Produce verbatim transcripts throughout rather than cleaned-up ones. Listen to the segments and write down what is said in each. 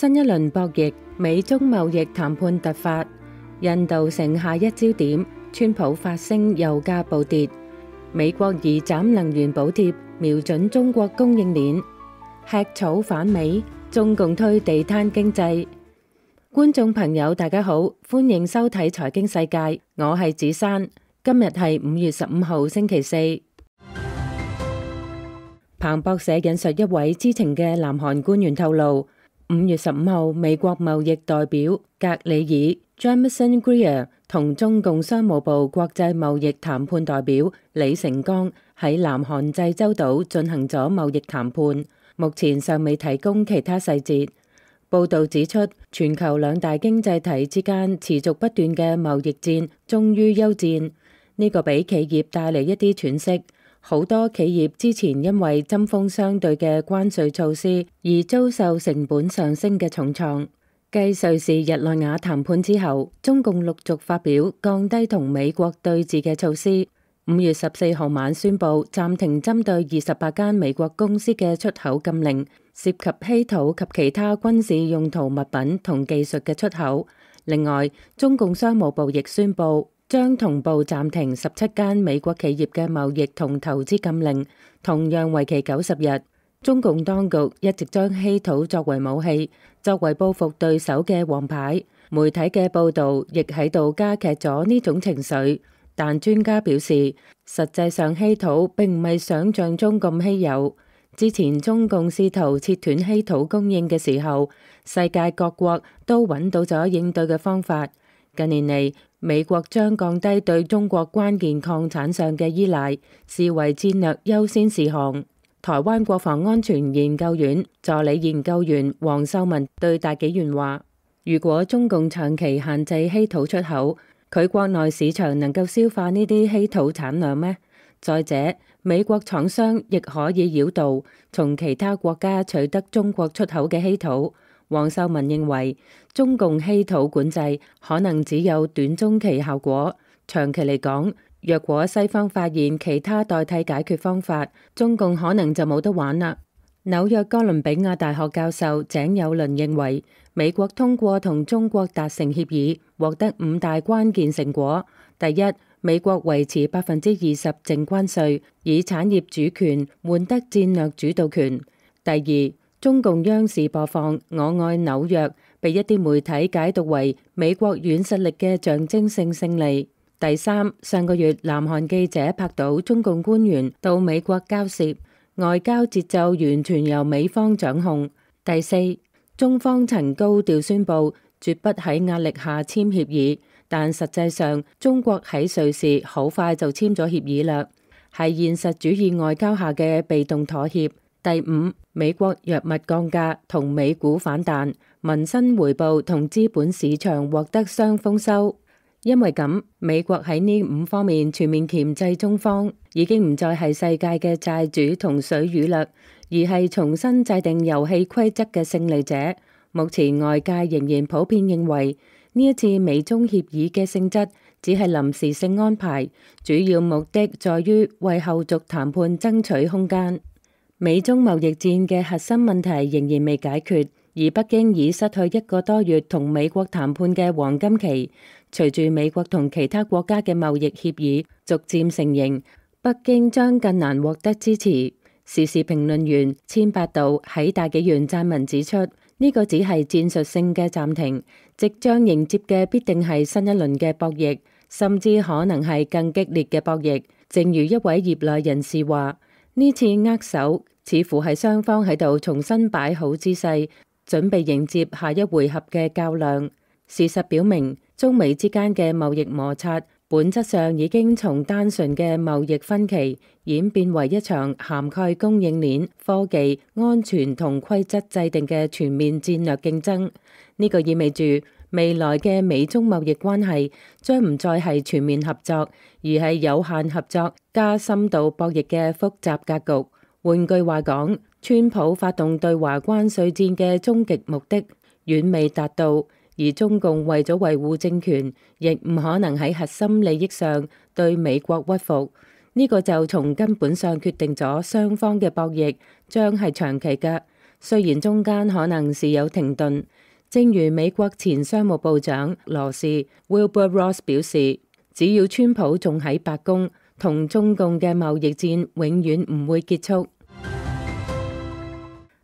新一輪博弈，美中貿易談判突發，印度成下一焦點，川普發聲油價暴跌，美國移斬能源補貼，瞄準中國供應鏈，吃草反美，中共推地攤經濟。觀眾朋友大家好，歡迎收睇財經世界，我係子珊，今日係五月十五號星期四。彭博社引述一位知情嘅南韓官員透露，五月十五號，美國貿易代表格里爾 Jamieson Greer 同中共商務部國際貿易談判代表李成鋼喺南韓濟州島進行咗貿易談判，目前尚未提供其他細節。報道指出，全球兩大經濟體之間持續不斷嘅貿易戰終於休戰，呢個俾企業帶嚟一啲喘息。好多企業之前因為針鋒相對嘅關稅措施而遭受成本上升嘅重創。繼瑞士日內瓦談判之後，中共陸續發表降低同美國對峙嘅措施。五月十四號晚宣布暫停針對二十八間美國公司嘅出口禁令，涉及稀土及其他軍事用途物品同技術嘅出口。另外，中共商務部亦宣布將同步暫停十七間美國企業嘅貿易同投資禁令，同樣為期九十日。中共當局一直將稀土作為武器，作為報復對手嘅王牌。媒體嘅報導亦喺度加劇咗呢種情緒。但專家表示，實際上稀土並唔係想像中咁稀有。之前中共試圖切斷稀土供應嘅時候，世界各國都揾到咗應對嘅方法。近年嚟，美國將降低對中國關鍵礦產上嘅依賴視為戰略優先事項。台灣國防安全研究院助理研究員黃秀文對大紀元話，如果中共長期限制稀土出口，佢國內市場能夠消化呢啲稀土產量咩？再者，美國廠商亦可以繞道從其他國家取得中國出口嘅稀土。黃秀文認為，中共稀土管制可能只有短中期效果，長期嚟講，若果西方發現其他代替解決方法，中共可能就冇得玩啦。紐約哥倫比亞大學教授井友倫認為，美國通過同中國達成協議，獲得五大關鍵成果。第一，美國維持百分之二十淨關稅，以產業主權換得戰略主導權。第二，中共央視播放《我愛紐約》，被一啲媒體解讀為美國軟實力嘅象徵性勝利。第三，上個月南韓記者拍到中共官員到美國交涉，外交節奏完全由美方掌控。第四，中方曾高調宣布絕不喺壓力下簽協議，但實際上中國喺瑞士好快就簽咗協議啦，係現實主義外交下嘅被動妥協。第五，美國藥物降價同美股反彈，民生回報同資本市場獲得雙豐收。因為咁，美國喺呢五方面全面鉗制中方，已經唔再係世界嘅債主同水魚啦，而係重新制定遊戲規則嘅勝利者。目前外界仍然普遍認為，呢一次美中協議嘅性質只係臨時性安排，主要目的在於為後續談判爭取空間。美中貿易戰嘅核心問題仍然未解決，而北京已失去一個多月同美國談判嘅黃金期。隨住美國同其他國家嘅貿易協議逐漸成型，北京將更難獲得支持。時事評論員千百度喺大紀元撰文指出，呢個只係戰術性嘅暫停，即將迎接嘅必定係新一輪嘅博弈，甚至可能係更激烈嘅博弈。正如一位業內人士話，呢次握手似乎係雙方喺度重新擺好姿勢，準備迎接下一回合嘅較量。事實表明，中美之間嘅貿易摩擦本質上已經從單純嘅貿易分歧演變為一場涵蓋供應鏈、科技、安全同規則制定嘅全面戰略競爭。呢個意味住未來嘅美中貿易關係將唔再係全面合作，而係有限合作加深度博弈嘅複雜格局。換句話講，川普發動對華關稅戰嘅終極目的遠未達到。而中共為咗維護政權，亦唔可能喺核心利益上對美國屈服。呢個就從根本上決定咗雙方嘅博弈將係長期嘅。雖然中間可能是有停頓。正如美國前商務部長羅士 Wilbur Ross 表示，只要川普仲喺白宮，同中共嘅貿易戰永遠唔會結束。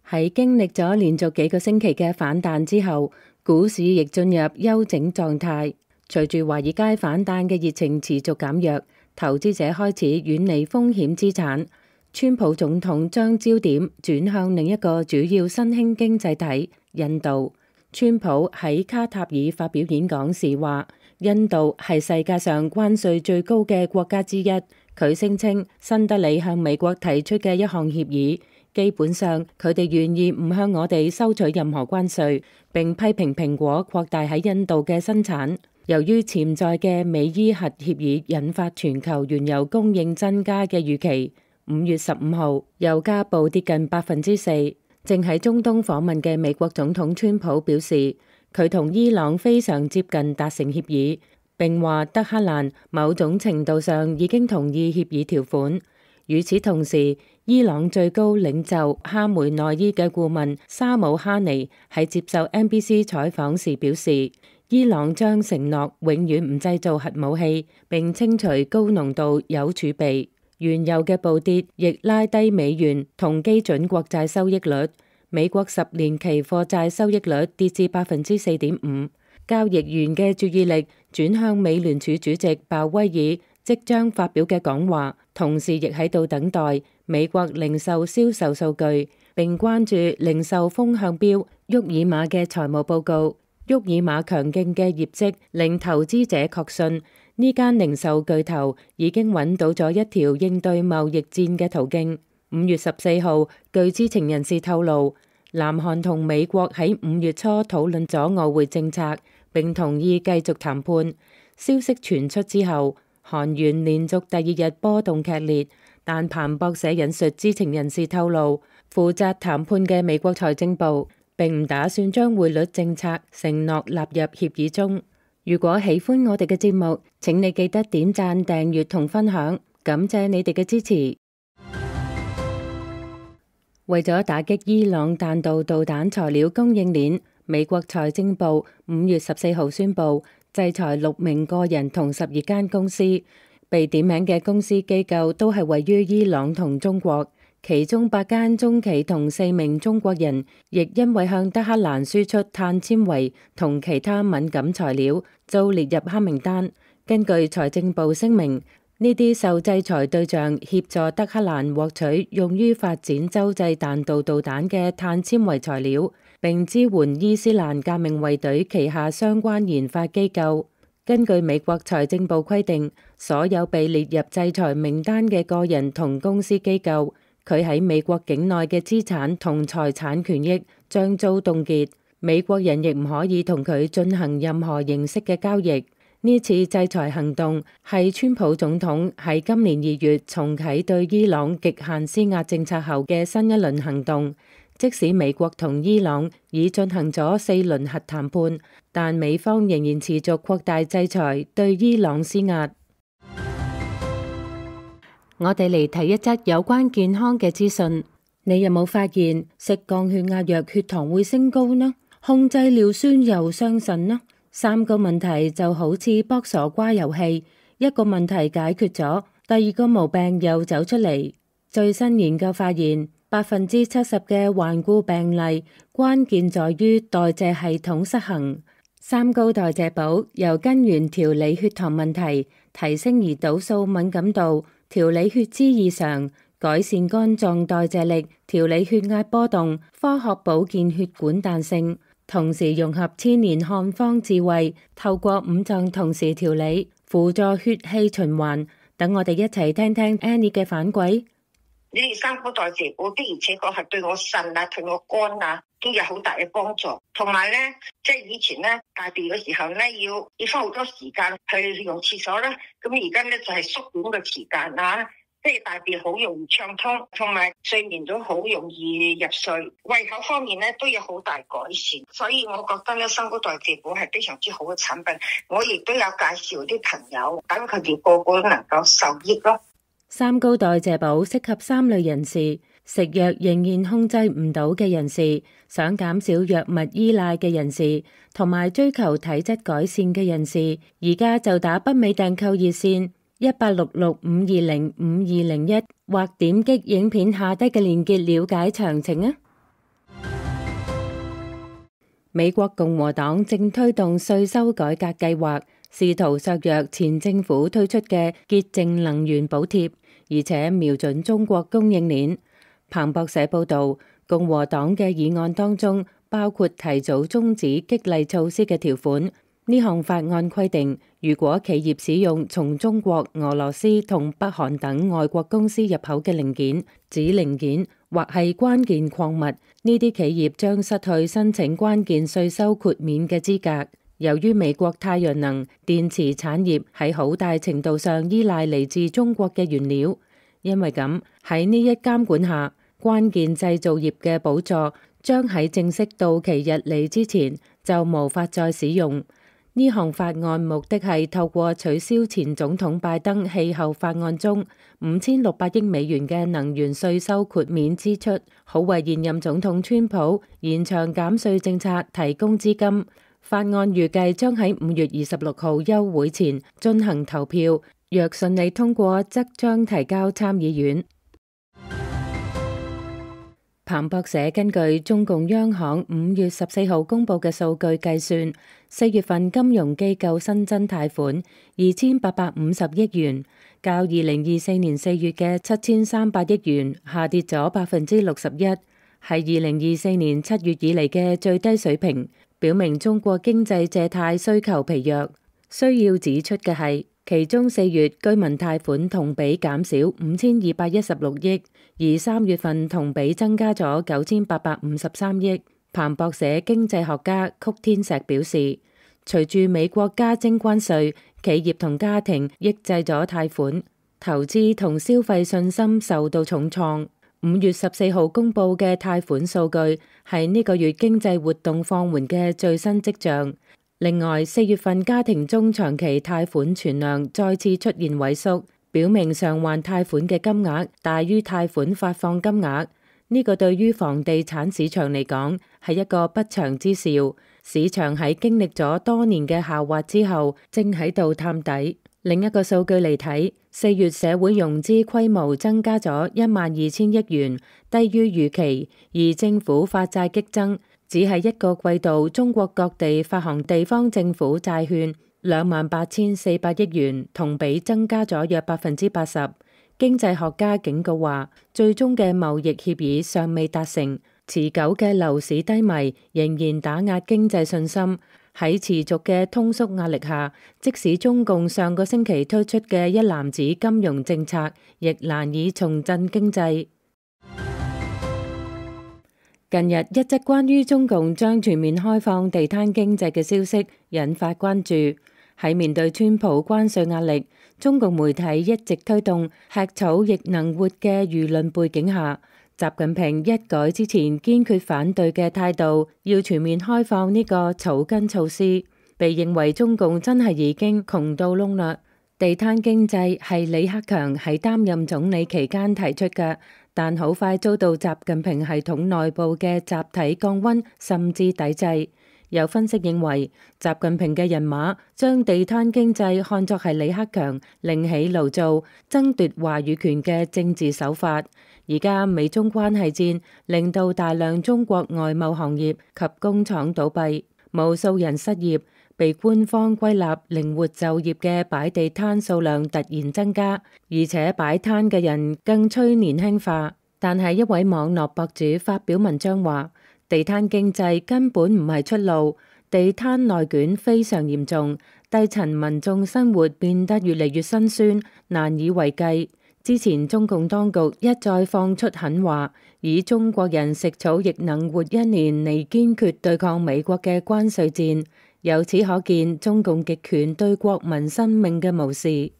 喺經歷咗連續幾個星期嘅反彈之後，股市亦進入休整狀態。隨住華爾街反彈嘅熱情持續減弱，投資者開始遠離風險資產。川普總統將焦點轉向另一個主要新興經濟體印度。川普喺卡塔爾發表演講時話，印度係世界上關稅最高嘅國家之一。佢聲稱新德里向美國提出嘅一項協議，基本上佢哋願意唔向我哋收取任何關稅，並批評蘋果擴大喺印度嘅生產。由於潛在嘅美伊核協議引發全球原油供應增加嘅預期，五月十五號油價暴跌近百分之四。正喺中東訪問嘅美國總統川普表示，佢同伊朗非常接近達成協議，並話德黑蘭某種程度上已經同意協議條款。與此同時，伊朗最高領袖哈梅內伊嘅顧問沙姆哈尼喺接受 N B C 採訪時表示，伊朗將承諾永遠唔製造核武器，並清除高濃度鈾儲備。原油嘅暴跌亦拉低美元同基準國債收益率，美國十年期貨債收益率跌至百分之四點五。交易員嘅注意力轉向美聯儲主席鮑威爾即將發表嘅講話，同時亦喺度等待美國零售銷售數據，並關注零售風向標沃爾瑪嘅財務報告。沃爾瑪強勁嘅業績令投資者確信，呢間零售巨頭已經揾到咗一條應對貿易戰嘅途徑。五月十四號，據知情人士透露，南韓同美國喺五月初討論咗外匯政策，並同意繼續談判。消息傳出之後，韓元連續第二日波動劇烈，但彭博社引述知情人士透露，負責談判嘅美國財政部並唔打算將匯率政策承諾納入協議中。如果喜歡我哋嘅節目，請你記得點讚、訂閱同分享，感謝你哋嘅支持。為咗打擊伊朗彈道導彈材料供應鏈，美國財政部五月十四號宣布制裁六名個人同十二間公司。被點名嘅公司機構都係位於伊朗同中國，其中八間中企同四名中國人亦因為向德黑蘭輸出碳纖維同其他敏感材料，遭列入黑名單。根據財政部聲明，呢啲受制裁對象協助德黑蘭獲取用於發展洲際彈道導彈嘅碳纖維材料，並支援伊斯蘭革命衛隊旗下相關研發機構。根據美國財政部規定，所有被列入制裁名單嘅個人同公司機構，佢喺美國境內嘅資產同財產權益將遭凍結，美國人亦唔可以同佢進行任何形式嘅交易。呢次制裁行動係川普總統喺今年二月重啟對伊朗極限施壓政策後嘅新一輪行動。即使美國同伊朗已進行咗四輪核談判，但美方仍然持續擴大制裁對伊朗施壓。我哋嚟睇一則有關健康嘅資訊。你有冇發現食降血壓藥血糖會升高呢？控制尿酸又傷腎呢？三個問題就好似卜傻瓜遊戲，一個問題解決咗，第二個毛病又走出嚟。最新研究發現，百分之七十嘅患故病例關鍵在於代謝系統失衡。三高代謝寶由根源調理血糖問題，提升胰島素敏感度，調理血脂異常，改善肝臟代謝力，調理血壓波動，科學保健血管彈性，同時融合千年漢方智慧，透過五臟同時調理，輔助血氣循環。等我哋一齊聽聽 Annie 嘅反饋。呢啲三高代謝寶的而且確係對我腎啊、對我肝啊都有好大嘅幫助。同埋咧，即係以前咧大便嘅時候咧，要要花好多時間去用廁所啦。咁而家咧就係縮短嘅時間啊，即係大便好容易暢通，同埋睡眠都好容易入睡。胃口方面咧都有好大改善，所以我覺得咧三高代謝寶係非常之好嘅產品。我亦都有介紹啲朋友，等佢哋個個都能夠受益咯。三高代謝寶適合三類人士：食藥仍然控制唔到嘅人士，想減少藥物依賴嘅人士，同埋追求體質改善嘅人士。而家就打北美訂購熱線一八六六五二零五二零一，或點擊影片下低嘅鏈接了解詳情啊！美國共和黨正推動稅收改革計劃，試圖削弱前政府推出嘅潔淨能源補貼，而且瞄準中國供應鏈。彭博社報道，共和黨嘅議案當中包括提早終止激勵措施嘅條款。呢項法案規定，如果企業使用從中國、俄羅斯同北韓等外國公司入口嘅零件、子零件或係關鍵礦物，呢啲企業將失去申請關鍵稅收豁免嘅資格。由於美國太陽能電池產業喺好大程度上依賴嚟自中國嘅原料，因為咁喺呢一監管下，關鍵製造業嘅補助將喺正式到期日嚟之前就無法再使用。呢項法案目的係透過取消前總統拜登氣候法案中五千六百億美元嘅能源稅收豁免支出，好為現任總統川普延長減稅政策提供資金。法案預計將喺五月二十六號休會前進行投票，若順利通過，則將提交參議院。彭博社根據中共央行五月十四號公布嘅數據計算，四月份金融機構新增貸款二千八百五十億元，較二零二四年四月嘅七千三百億元下跌咗百分之六十一，係二零二四年七月以嚟嘅最低水平，表明中國經濟借貸需求疲弱。需要指出嘅係，其中四月居民貸款同比減少五千二百一十六億，而三月份同比增加咗九千八百五十三億。彭博社經濟學家曲天石表示，隨住美國加徵關稅，企業同家庭抑制咗貸款，投資同消費信心受到重創。五月十四號公布嘅貸款數據係呢個月經濟活動放緩嘅最新跡象。另外，四月份家庭中長期貸款存量再次出現萎縮，表明償還貸款嘅金額大於貸款發放金額。呢個對於房地產市場嚟講係一個不祥之兆。市場喺經歷咗多年嘅下滑之後，正喺度探底。另一個數據嚟睇，四月社會融資規模增加咗一萬二千億元，低於預期，而政府發債激增。只係一個季度，中國各地發行地方政府債券兩萬八千四百億元，同比增加咗約百分之八十。經濟學家警告話，最終嘅貿易協議尚未達成，持久嘅樓市低迷仍然打壓經濟信心。喺持續嘅通縮壓力下，即使中共上個星期推出嘅一籃子金融政策，亦難以重振經濟。近日一則關於中共將全面開放地攤經濟嘅消息引發關注。喺面對川普關稅壓力，中共媒體一直推動吃草亦能活嘅輿論背景下，習近平一改之前堅決反對嘅態度，要全面開放呢個草根措施，被認為中共真係已經窮到窿啦。地攤經濟係李克強喺擔任總理期間提出嘅，但好快遭到習近平系統內部嘅集體降溫，甚至抵制。有分析認為，習近平嘅人馬將地攤經濟看作係李克強另起爐灶、爭奪話語權嘅政治手法。而家美中關係戰令到大量中國外貿行業及工廠倒閉，無數人失業，被官方歸納靈活就業嘅擺地攤數量突然增加，而且擺攤嘅人更趨年輕化。但係一位網絡博主發表文章話，地攤經濟根本唔係出路，地攤內卷非常嚴重，低層民眾生活變得越嚟越辛酸，難以為繼。之前中共當局一再放出狠話，以中國人食草亦能活一年嚟堅決對抗美國嘅關稅戰，由此可見中共極權對國民生命嘅無視。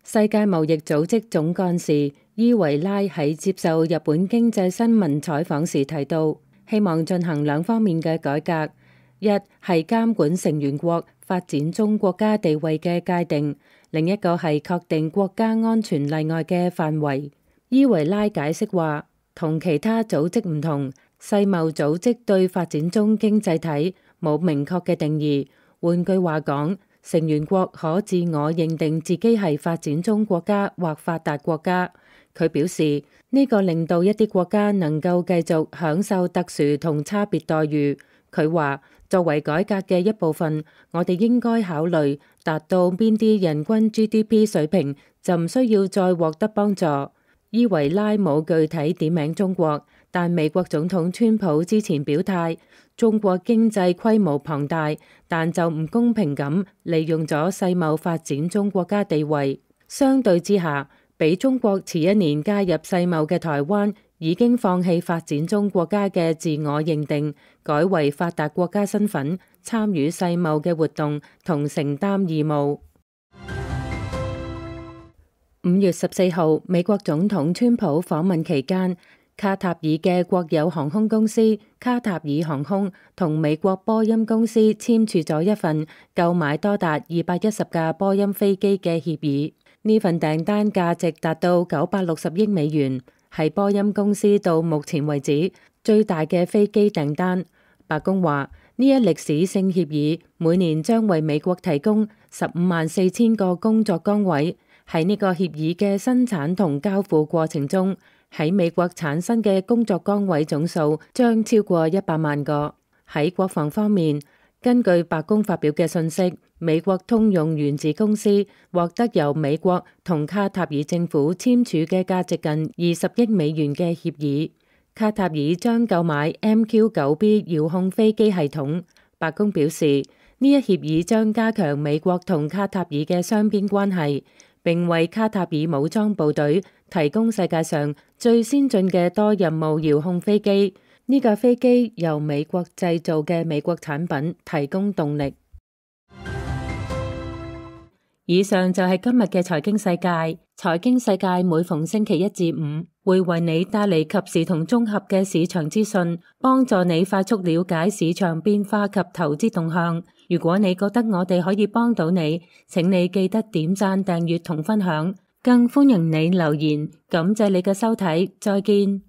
世界貿易組織總幹事伊維拉喺接受日本經濟新聞採訪時提到，希望進行兩方面嘅改革，一係監管成員國發展中國家地位嘅界定，另一個係確定國家安全例外嘅範圍。伊維拉解釋話，同其他組織唔同，世貿組織對發展中經濟體冇明確嘅定義。換句話講，成員國可自我認定自己係發展中國家或發達國家。佢表示，呢個令到一啲國家能夠繼續享受特殊同差別待遇。佢話，作為改革嘅一部分，我哋應該考慮達到邊啲人均 G D P 水平就唔需要再獲得幫助。伊維拉冇具體點名中國，但美國總統川普之前表態，中國經濟規模龐大，但就唔公平咁利用咗世貿發展中國家地位。相對之下，比中國遲一年加入世貿嘅台灣已經放棄發展中國家嘅自我認定，改為發達國家身份，參與世貿嘅活動同承擔義務。五月十四號，美國總統川普訪問期間，卡塔爾嘅國有航空公司卡塔爾航空同美國波音公司簽署咗一份購買多達二百一十架波音飛機嘅協議。呢份訂單價值達到九百六十億美元，係波音公司到目前為止最大嘅飛機訂單。白宮話，呢一歷史性協議每年將為美國提供十五萬四千個工作崗位。喺呢個協議嘅生產同交付過程中，喺美國產生嘅工作崗位總數將超過一百萬個。喺國防方面，根據白宮發表嘅信息，美國通用原子公司獲得由美國同卡塔爾政府簽署嘅價值近二十億美元嘅協議。卡塔爾將購買 M Q 九 B 遙控飛機系統。白宮表示，呢一協議將加強美國同卡塔爾嘅雙邊關係，並為卡塔爾武裝部隊提供世界上最先進嘅多任務遙控飛機。呢架飛機由美國製造嘅美國產品提供動力。以上就係今日嘅財經世界。財經世界每逢星期一至五會為你帶嚟及時同綜合嘅市場資訊，幫助你快速了解市場變化及投資動向。如果你覺得我哋可以幫到你，請你記得點讚、訂閱同分享，更歡迎你留言。感謝你嘅收睇，再見。